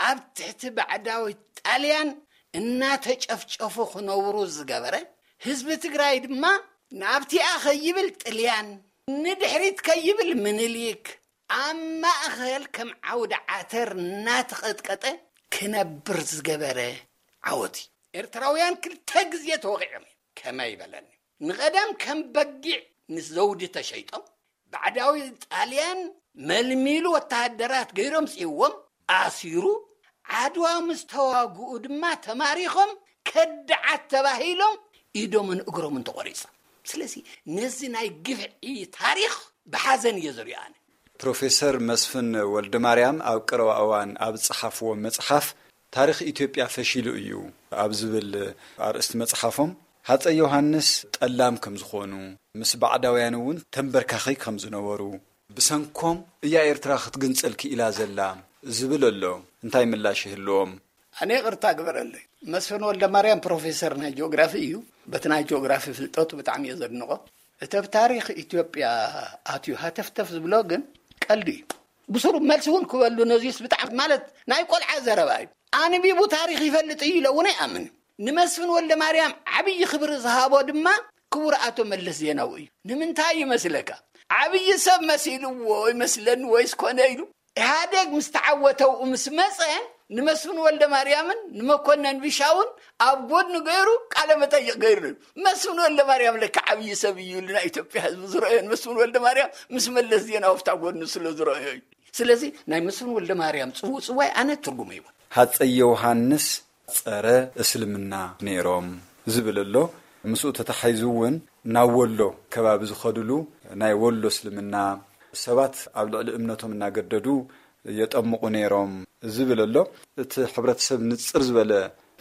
ኣብ ትሕቲ ባዕዳዊ ጣልያን እናተጨፍጨፉ ክነብሩ ዝገበረ፣ ህዝቢ ትግራይ ድማ ናብቲኣ ከይብል ጥልያን፣ ንድሕሪት ከይብል ምኒልክ፣ ኣብ ማእኸል ከም ዓውዲ ዓተር እናተቐጥቀጠ ክነብር ዝገበረ ዓወት እዩ። ኤርትራውያን ክልተ ግዜ ተወቒዖም እዮም። ከመይ በለኒ። ንቐደም ከም በጊዕ ምስ ዘውዲ ተሸይጦም፣ ባዕዳዊ ጣልያን መልሚሉ ወተሃደራት ገይሮም ጽይዎም ኣሲሩ፣ ዓድዋ ምስ ተዋግኡ ድማ ተማሪኾም ከዳዓት ተባሂሎም ኢዶምን እግሮምን ተቖሪጾም። ስለዚ ነዚ ናይ ግፍዒ ታሪኽ ብሓዘን እየ ዘሪኦ ኣነ። ፕሮፌሰር መስፍን ወልደማርያም ኣብ ቀረባ እዋን ኣብ ዝጸሓፍዎ መጽሓፍ ታሪኽ ኢትዮጵያ ፈሺሉ እዩ ኣብ ዝብል ኣርእስቲ መጽሓፎም፣ ሃጸይ ዮሃንስ ጠላም ከም ዝኾኑ፣ ምስ ባዕዳውያን እውን ተንበርካኺ ከም ዝነበሩ፣ ብሰንኮም እያ ኤርትራ ክትግንጸል ክኢላ ዘላ ዝብል ኣሎ። እንታይ ምላሽ ይህልዎም? ኣነ ይቕርታ ግበረለይ። መስፍን ወልደ ማርያም ፕሮፌሰር ናይ ጂኦግራፊ እዩ። በቲ ናይ ጂኦግራፊ ፍልጠቱ ብጣዕሚ እየ ዘድንቖ። እቲ ኣብ ታሪኽ ኢትዮጵያ ኣትዩ ሃተፍተፍ ዝብሎ ግን ቀልዲ እዩ። ብስሩ መልሲ እውን ክበሉ ነዚስ ብጣዕሚ ማለት ናይ ቆልዓ ዘረባ እዩ። ኣንቢቡ ታሪኽ ይፈልጥ እዩ ኢለ እውን ኣይኣምን። ንመስፍን ወልደ ማርያም ዓብዪ ክብሪ ዝሃቦ ድማ ክቡር ኣቶ መለስ ዜናዊ እዩ። ንምንታይ ይመስለካ? ዓብዪ ሰብ መሲልዎ ይመስለኒ ወይስ ኮነ ኢሉ ኢህኣዴግ ምስ ተዓወተ ኣብኡ ምስ መፀ ንመስፍን ወልደ ማርያምን ንመኮነን ቢሻውን ኣብ ጎድኑ ገይሩ ቃለ መጠይቕ ገይሩ እዩ። መስፍን ወልደ ማርያም ለካ ዓብዪ ሰብ እዩ ኢሉ ናይ ኢትዮጵያ ህዝቢ ዝረአዮ ንመስፍን ወልደ ማርያም ምስ መለስ ዜናዊ ኣብታ ጎድኑ ስለ ዝረአዮ እዩ። ስለዚ ናይ መስፍን ወልደ ማርያም ፅውፅዋይ ኣነ ትርጉም ይብሉ። ሃፀይ ዮሃንስ ጸረ እስልምና ነይሮም ዝብል ኣሎ። ምስኡ ተተሓይዙ እውን ናብ ወሎ ከባቢ ዝኸድሉ ናይ ወሎ እስልምና ሰባት ኣብ ልዕሊ እምነቶም እናገደዱ የጠምቑ ነይሮም ዝብል ኣሎ። እቲ ሕብረተሰብ ንጽር ዝበለ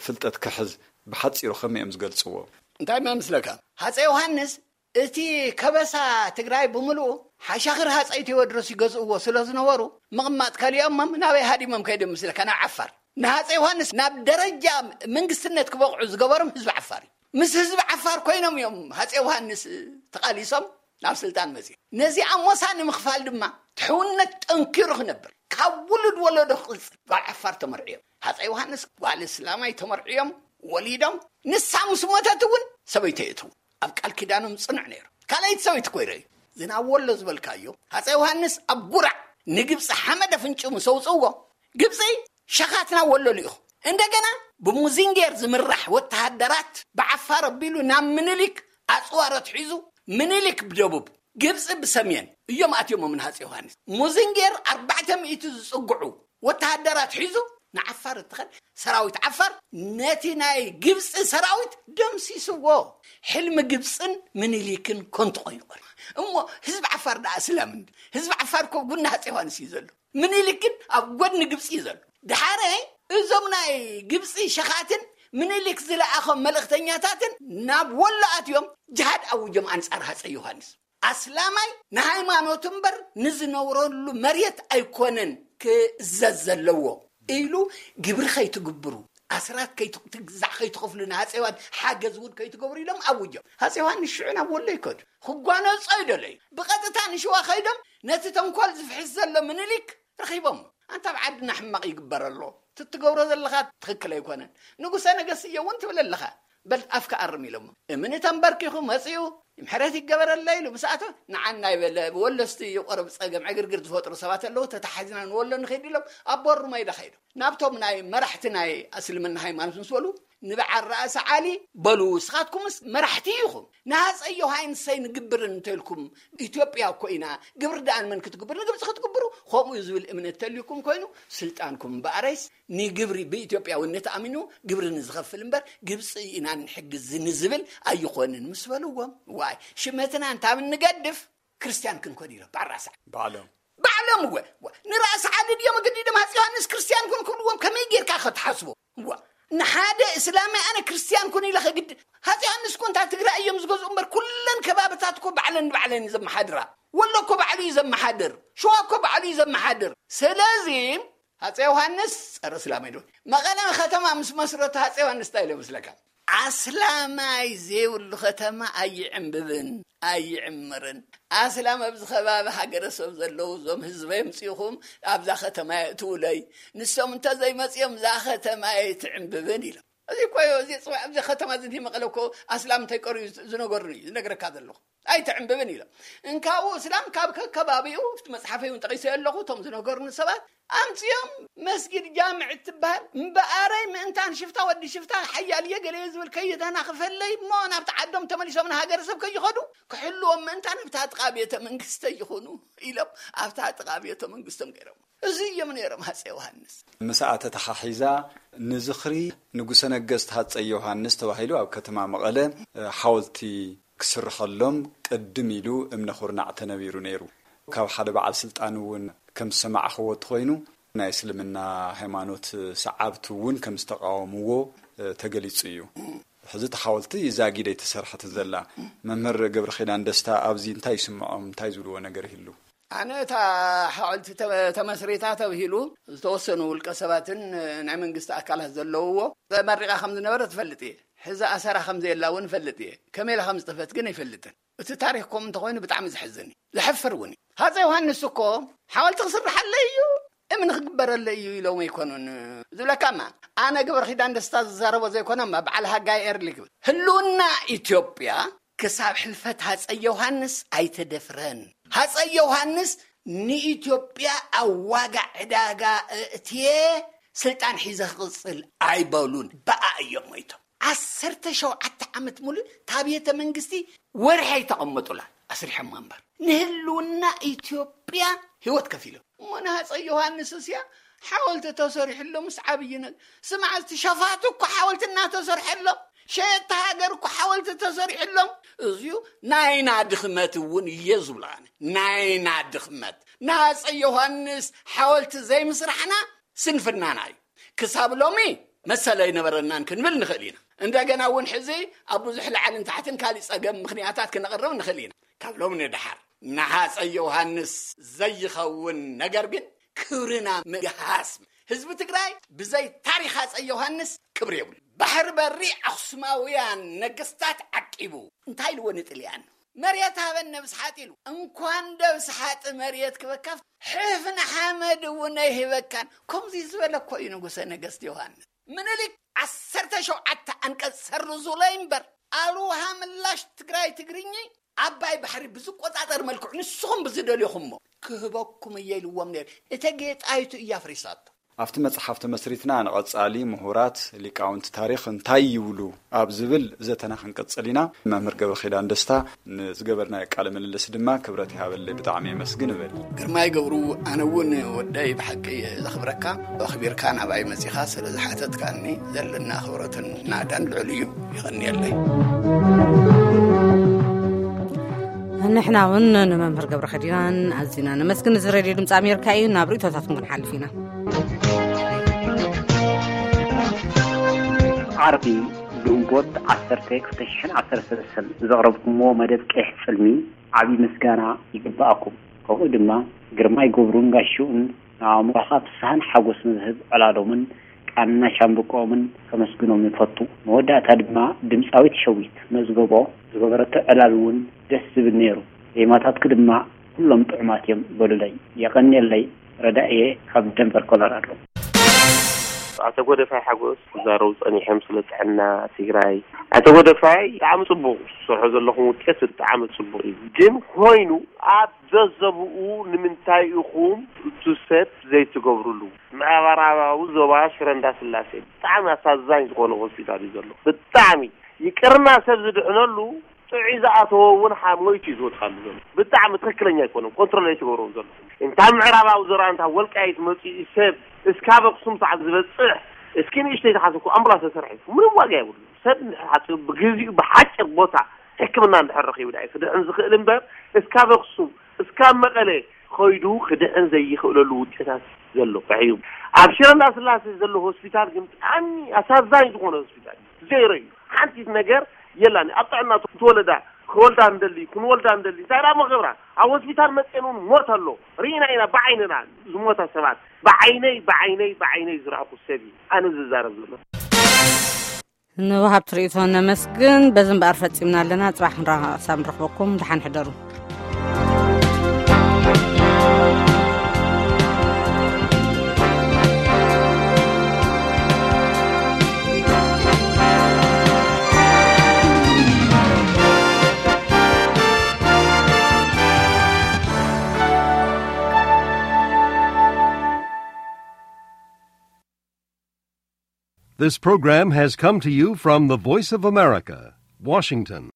ፍልጠት ክሕዝ ብሓጺሩ ከመይ እዮም ዝገልጽዎ? እንታይ መምስለካ? ሃፀ ዮሃንስ እቲ ከበሳ ትግራይ ብምልኡ ሓሻኽር ሃፀይ ቴዎድሮስ ይገዝእዎ ስለ ዝነበሩ ምቕማጥ ከሊኦሞም ናበይ ሃዲሞም ከይዶም ምስለካ ናብ ዓፋር ንሃፀ ዮሃንስ ናብ ደረጃ መንግስትነት ክበቕዑ ዝገበሮም ህዝቢ ዓፋር እዩ። ምስ ህዝቢ ዓፋር ኮይኖም እዮም ሃፀ ዮሃንስ ተቓሊሶም ናብ ስልጣን መፅኦም። ነዚ ኣሞሳ ንምኽፋል ድማ ትሕውነት ጠንኪሩ ክነብር ካብ ውሉድ ወለዶ ክቕፅል ጓል ዓፋር ተመርዕዮም ሃፀ ዮሃንስ ጓል እስላማይ ተመርዕዮም ወሊዶም ንሳ ምስ ሞተት እውን ሰበይቶ የእትዉ ኣብ ቃል ኪዳኖም ፅኑዕ ነይሩ። ካልኣይቲ ሰበይቲ ኮይረ እዩ ዝናብ ወሎ ዝበልካዮ ሃፀ ዮሃንስ ኣብ ጉራዕ ንግብፂ ሓመድ ኣፍንጭ ምስ ኣውፅእዎ ግብፂ ሸኻትና ወሎ ልኢኹ እንደገና ብሙዚንጌር ዝምራሕ ወተሃደራት ብዓፋር ኣቢሉ ናብ ምኒልክ ኣፅዋር ኣትሒዙ ምኒልክ ብደቡብ ግብፂ ብሰሜን እዮም ኣትዮሞም ንሃፀ ዮሃንስ። ሙዚንጌር ኣርባዕተ ሚእቲ ዝፅግዑ ወተሃደራት ሒዙ ንዓፋር እትኸድ ሰራዊት ዓፋር ነቲ ናይ ግብፂ ሰራዊት ደምሲስዎ። ሕልሚ ግብፅን ምኒልክን ኮንቱ ኮይኑ ቀሪ እሞ ህዝቢ ዓፋር ደኣ እስላም እንዲ ህዝቢ ዓፋር ኮ ጉና ሃፀ ዮሃንስ እዩ ዘሎ። ምኒልክ ግን ኣብ ጎድኒ ግብፂ እዩ ዘሎ። ድሓረ እዞም ናይ ግብፂ ሸኻትን ምኒልክ ዝለኣኸም መልእኽተኛታትን ናብ ወሎ ኣትዮም ጅሃድ ኣውጆም ኣንፃር ሃፀ ዮሃንስ። ኣስላማይ ንሃይማኖቱ እምበር ንዝነብረሉ መሬት ኣይኮነን ክእዘዝ ዘለዎ ኢሉ ግብሪ ከይትግብሩ ኣስራት ትግዛዕ ከይትኸፍሉ ንሃፀ ዮሃን ሓገዝ እውን ከይትገብሩ ኢሎም ኣውጆም። ሃፀ ዮሃንስ ሽዑ ናብ ወሎ ይከዱ ክጓነፆ ይደለዩ ብቐጥታ ንሽዋ ከይዶም ነቲ ተንኮል ዝፍሕስ ዘሎ ምኒልክ ረኺቦም። ኣንታ ኣብ ዓድና ሕማቕ ይግበር ኣሎ ትትገብሮ ዘለኻ ትኽክል ኣይኮነን። ንጉሰ ነገስት እየ እውን ትብል ኣለኻ በል ኣፍካ ኣርም ኢሎሞ። እምኒ ተንበርኪኹ መፂኡ ምሕረት ይገበረለ ኢሉ ምስ ኣቶ ንዓና ይበለ ወለስቲ ይቆርብ ፀገም ዕግርግር ዝፈጥሩ ሰባት ኣለዉ ተተሓዝና ንወሎ ንኸይድ ኢሎም ኣብ በሩ መይዳ ከይዶም ናብቶም ናይ መራሕቲ ናይ እስልምና ሃይማኖት ምስ በሉ ንበዓል ራእሲ ዓሊ በሉ እስኻትኩምስ መራሕቲ ኢኹም ንሃፀይ ዮሃንሰይ ንግብርን እንተልኩም ኢትዮጵያ እኮ ኢና ግብሪ ደኣ ንመን ክትግብሩ ንግብፂ ክትግብሩ ከምኡ እዩ ዝብል እምነት ተልዩኩም ኮይኑ ስልጣንኩም እምበኣረይስ ንግብሪ ብኢትዮጵያውነት ኣሚኑ ግብሪ ንዝኸፍል እምበር ግብፂ ኢና ንሕግዝ ንዝብል ኣይኾንን ምስ በልዎም ዋይ ሽመትና እንታብ ንገድፍ ክርስትያን ክንኮን ኢሎም ባራሳ ባዕሎም ባዕሎም እወ ንራእሲ ዓሊ ድዮም ኣገዲዶም ሃፂ ዮሃንስ ክርስትያን ኩን ክብልዎም ከመይ ጌርካ ከተሓስቦ እዋ ንሓደ እስላማይ ኣነ ክርስትያን ኩን ኢለ ከግድ ሃፂ ዮሃንስ ኮንታ ትግራይ እዮም ዝገዝኡ እምበር ኩለን ከባብታት እኮ ባዕለን ንባዕለን እዩ ዘመሓድራ ወሎ እኮ ባዕሉ እዩ ዘመሓድር ሸዋ እኮ ባዕሉ እዩ ዘመሓድር ስለዚ ሃፀ ዮሃንስ ፀረ እስላም ኣይደሉ መቐለ ከተማ ምስ መስረቱ ሃፀ ዮሃንስ እንታይ ኢለ መስለካ ኣስላማይ ዘይብሉ ከተማ ኣይዕምብብን ኣይዕምርን ኣስላም ኣብዚ ከባቢ ሃገረሰብ ዘለዉ እዞም ህዝበይ ምፅእኹም ኣብዛ ከተማ የእትውለይ ንሶም እንተዘይመፅኦም እዛ ከተማ ኣይትዕምብብን ኢሎም እዚ እኮ እዚ ፅባሕ ኣብዚ ከተማ እዚ መቐለ እኮ ኣስላም እንታይ ቀርዩ ዝነገሩኒ እዩ ዝነግረካ ዘለኹ ኣይትዕምብብን ኢሎም እንካብኡ እስላም ካብ ከከባቢኡ እቲ መፅሓፈይ እውን ጠቂሰ ኣለኹ እቶም ዝነገሩኒ ሰባት ኣምፅኦም መስጊድ ጃምዕ እትበሃል እምበኣረይ ምእንታን ሽፍታ ወዲ ሽፍታ ሓያል እየ ገለ እየ ዝብል ከይተናኽፈለይ እሞ ናብቲ ዓዶም ተመሊሶም ንሃገረሰብ ከይኸዱ ክሕልዎም ምእንታን ኣብታ ጥቓ ቤተ መንግስተ ይኹኑ ኢሎም ኣብታ ጥቓ ቤተ መንግስቶም ገይሮም። እዚ እዮም ነይሮም ሃፀ ዮሃንስ። ምስኣ ተተሓሒዛ ንዝኽሪ ንጉሰ ነገስት ሃፀይ ዮሃንስ ተባሂሉ ኣብ ከተማ መቐለ ሓወልቲ ክስርሐሎም ቅድም ኢሉ እምነ ኩርናዕ ተነቢሩ ነይሩ። ካብ ሓደ በዓል ስልጣን እውን ከም ዝሰማዕኽዎ እንተኾይኑ ናይ እስልምና ሃይማኖት ሰዓብቲ እውን ከም ዝተቃወምዎ ተገሊፁ እዩ። ሕዚ እቲ ሓወልቲ ዛጊድ ኣይተሰርሐትን ዘላ። መምህር ገብረ ኪዳን ደስታ ኣብዚ እንታይ ይስምዖም፣ እንታይ ዝብልዎ ነገር ይህሉ? ኣነ እታ ሓወልቲ ተ- ተመስሪታ ተብሂሉ ዝተወሰኑ ውልቀ ሰባትን ናይ መንግስቲ ኣካላት ዘለውዎ ተመሪቓ ከም ዝነበረ ትፈልጥ እየ። ሕዚ ኣሰራ ከም ዘየላ እውን እፈልጥ እየ። ከመይ ኢላ ከም ዝጠፈት ግን ኣይፈልጥን። እቲ ታሪኽ ከምኡ እንተኾይኑ ብጣዕሚ ዘሕዝን እዩ፣ ዘሕፍር እውን እዩ። ሃፀ ዮሃንስ እኮ ሓወልቲ ክስርሓለይ እዩ፣ እምኒ ክግበረለይ እዩ ኢሎም ኣይኮኑን ዝብለካማ። ኣነ ገብረ ኪዳን ደስታ ዝዛረቦ ዘይኮነማ በዓል ሃጋይ ኤርሊ ክብል ህልውና ኢትዮጵያ ክሳብ ሕልፈት ሃፀይ ዮሃንስ ኣይተደፍረን። ሃፀይ ዮሃንስ ንኢትዮጵያ ኣብ ዋጋ ዕዳጋ እእትየ ስልጣን ሒዘ ክቕፅል ኣይበሉን። ብኣ እዮም ሞይቶም። ዓሰርተ ሸውዓተ ዓመት ሙሉእ እታ ቤተ መንግስቲ ወርሒ ኣይተቐመጡላን። ኣስሪሖማ እምበር ንህልውና ኢትዮጵያ ህይወት ከፊሎም። እሞ ንሃፀይ ዮሃንስ እስያ ሓወልቲ ተሰሪሕሎም ምስ ዓብይ ነገር ስማዕ፣ እቲ ሸፋቱ እኮ ሓወልቲ እናተሰርሐሎም፣ ሸየጥቲ ሃገር እኮ ሓወልቲ ተሰሪሕሎም። እዚዩ ናይና ድኽመት እውን እየ ዝብሎ ኣነ። ናይና ድኽመት ንሃፀይ ዮሃንስ ሓወልቲ ዘይምስራሕና ስንፍናና እዩ። ክሳብ ሎሚ መሰል ኣይነበረናን ክንብል ንኽእል ኢና። እንደገና እውን ሕዚ ኣብ ብዙሕ ላዕልን ታሕትን ካሊእ ጸገም ምኽንያታት ክነቕርብ ንኽእል ኢና። ካብ ሎሚ ንደሓር ንሃፀይ ዮሃንስ ዘይኸውን ነገር ግን ክብርና ምግሃስ። ህዝቢ ትግራይ ብዘይ ታሪኽ ሃፀይ ዮሃንስ ክብሪ የብሉ። ባሕሪ በሪ ኣኽሱማውያን ነገስታት ዓቂቡ እንታይ ኢልዎ ንጥልያን? መሬት ሃበን ነብስ ሓጥ ኢሉ። እንኳን ደብስ ሓጥ መሬት ክበካ ሕፍን ሓመድ እውን ኣይህበካን። ከምዚ ዝበለ እኮ እዩ ንጉሰ ነገስት ዮሃንስ። ምኒልክ ዓሰርተ ሸውዓተ ኣንቀጽ ሰርዙለይ እምበር ኣልውሃ ምላሽ ትግራይ ትግርኚ ዓባይ ባሕሪ ብዝቆጻጸር መልክዑ ንስኹም ብዝደልዮኹሞ ክህበኩም እየ ኢልዎም ነይሩ። እተጌ ጣይቱ እያ ኣፍሪሳቶ። ኣብቲ መጽሓፍ ተመስሪትና ንቐጻሊ ምሁራት ሊቃውንቲ ታሪኽ እንታይ ይብሉ ኣብ ዝብል ዘተና ክንቅጽል ኢና። መምህር ገብረ ኪዳን ደስታ ንዝገበርናዮ ቃለ ምልልስ ድማ ክብረት ይሃበለይ፣ ብጣዕሚ የመስግን እብል። ግርማይ ገብሩ፣ ኣነ እውን ወደይ ብሓቂ እየ ዘኽብረካ። ኣኽቢርካ ናባይ መጺኻ ስለ ዝሓተትካኒ ዘለና ክብረትን ናዳን ልዑል እዩ። ይቐንየለይ። ንሕና እውን ንመምህር ገብረ ኸዲናን ኣዚና ነመስግን። እዚ ሬድዮ ድምፂ ኣሜሪካ እዩ። ናብ ርእቶታትኩም ክንሓልፍ ኢና። ዓርቢ ግንቦት ዓሰርተ ክልተ ሽሕን ዓሰርተ ሰለስተን ዘቕረብኩምዎ መደብ ቀይሕ ጽልሚ ዓቢ ምስጋና ይግብኣኩም። ከምኡ ድማ ግርማይ ገብሩን ጋሽኡን ንኣእምሮኻ ፍስሃን ሓጎስን ዝህብ ዕላሎምን ቃና ሻምብቆኦምን ከመስግኖም ይፈቱ። መወዳእታ ድማ ድምፃዊት ሸዊት መዝገቦ ዝገበረቶ ዕላል እውን ደስ ዝብል ነይሩ። ዜማታትኪ ድማ ኩሎም ጥዑማት እዮም በሉለይ። የቐንየለይ። ረዳእየ ካብ ደንቨር ኮሎራዶ። ኣቶ ጎደፋይ ሓጎስ ክዛረቡ ጸኒሖም ስለ ጥዕና ትግራይ። ኣቶ ጎደፋይ ብጣዕሚ ጽቡቕ ዝሰርሖ ዘለኹም ውጤት ብጣዕሚ ጽቡቕ እዩ። ግን ኮይኑ ኣብ ዘዘብኡ ንምንታይ ኢኹም እቲ ሰብ ዘይትገብሩሉ? ምዕራባዊ ዞባ ሽረ እንዳስላሴ ብጣዕሚ ኣሳዛኝ ዝኾነ ሆስፒታል እዩ ዘሎ። ብጣዕሚ ይቅርና ሰብ ዝድሕነሉ ጥዑይ ዝኣተወ እውን ሓ-፣ ሞይቱ እዩ ዝወድቃሉ ዘሎ። ብጣዕሚ ትኽክለኛ ኣይኮነን። ኮንትሮል ኣይትገብርዎም ዘለኹም። እንታ ምዕራባዊ ዞባ እንታ ወልቃይት መፂኡ ሰብ እስካብ ኣክሱም ሰዓት ዝበፅሕ እስኪ ንእሽተይ ተሓሰብኩ ኣምቡላንስ ተሰርሐ እዩ። ምንም ዋጋ የብሉ። ሰብ እንድሕር ሓፂሩ ብግዚኡ ብሓፂር ቦታ ሕክምና እንድሕር ረኺቡ ዳ እዩ ክድሕን ዝኽእል እምበር እስካብ ኣክሱም እስካብ መቐለ ኸይዱ ክድሕን ዘይኽእለሉ ውጤታት ዘሎ እዩ። ኣብ ሽረ እንዳስላሴ ዘሎ ሆስፒታል ግን ብጣዕሚ ኣሳዛኝ ዝኾነ ሆስፒታል እዩ። ዜሮ እዩ። ሓንቲ ነገር የላን። ኣብ ጥዕና ትወለዳ ክወልዳ እንደሊ ክንወልዳ እንደሊ እንታይ ደኣ መገብራ ኣብ ሆስፒታል መፅኤን እውን ሞት ኣሎ። ርኢና ኢና ብዓይንና ዝሞታ ሰባት ብዓይነይ ብዓይነይ ብዓይነይ ዝረኣኹ ሰብ እዩ ኣነ ዝዛረብ ዘሎ። ንወሃብቲ ርእይቶ ነመስግን። በዚ እምበኣር ፈጺምና ኣለና። ጽባሕ ክንራ-፣ ክሳብ ንረኽበኩም ደሓን ሕደሩ። This program has come to you from the Voice of America, Washington.